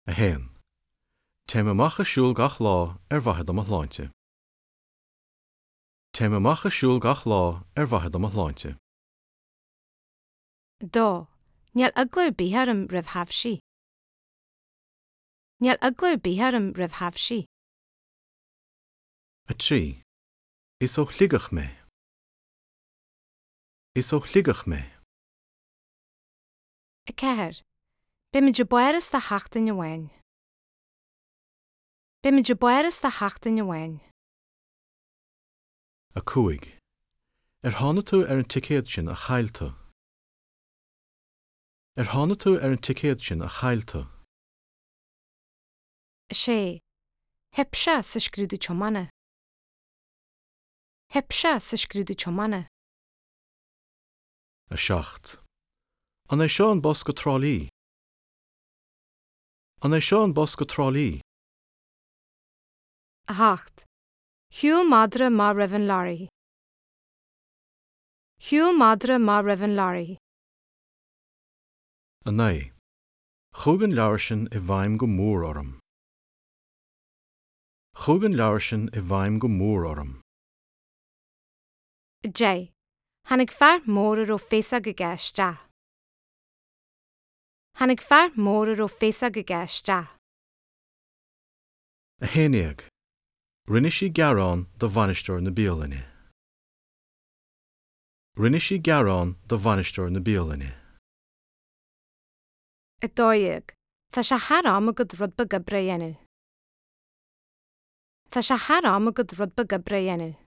1. Téim amach ag siúl gach lá ar mhaithe do mo shláinte. Téim amach ag siúl gach lá ar mhaithe do mo shláinte. 2. Níl eagla ar bith orm roimh thaibhsí. Níl eagla ar bith orm roimh thaibhsí. 3. Is ó Shligeach mé. Is ó Shligeach mé. 4. Beimid i bPáras do sheachtain amháin. Beimid i bPáras do sheachtain amháin. 5. Ar tháinig tú ar an ticéad sin a chaill tú? Ar tháinig tú ar an ticéad sin a chaill tú? 6. Theip sé sa scrúdú tiomána. Theip sé sa scrúdú tiomána. 7. An é seo an bus go Trá Lí? An é seo an bus go Trá Lí? 8. Shiúil madra amach roimh an leoraí. Shiúil madra amach roimh an leoraí. 9. Chuaigh an leabhar sin i bhfeidhm go mór orm. Chuaigh an leabhar sin i bhfeidhm go mór orm. 10. Tháinig fear mór a raibh féasóg aige isteach. Tháinig fear mór a raibh féasóg aige isteach. 11. Rinne sí gearán do bhainisteoir na bialainne. Rinne sí gearán do bhainisteoir na bialainne. 12. Tá sé thar am agat rud beag oibre a dhéanamh. Tá sé thar am agat rud beag oibre a dhéanamh.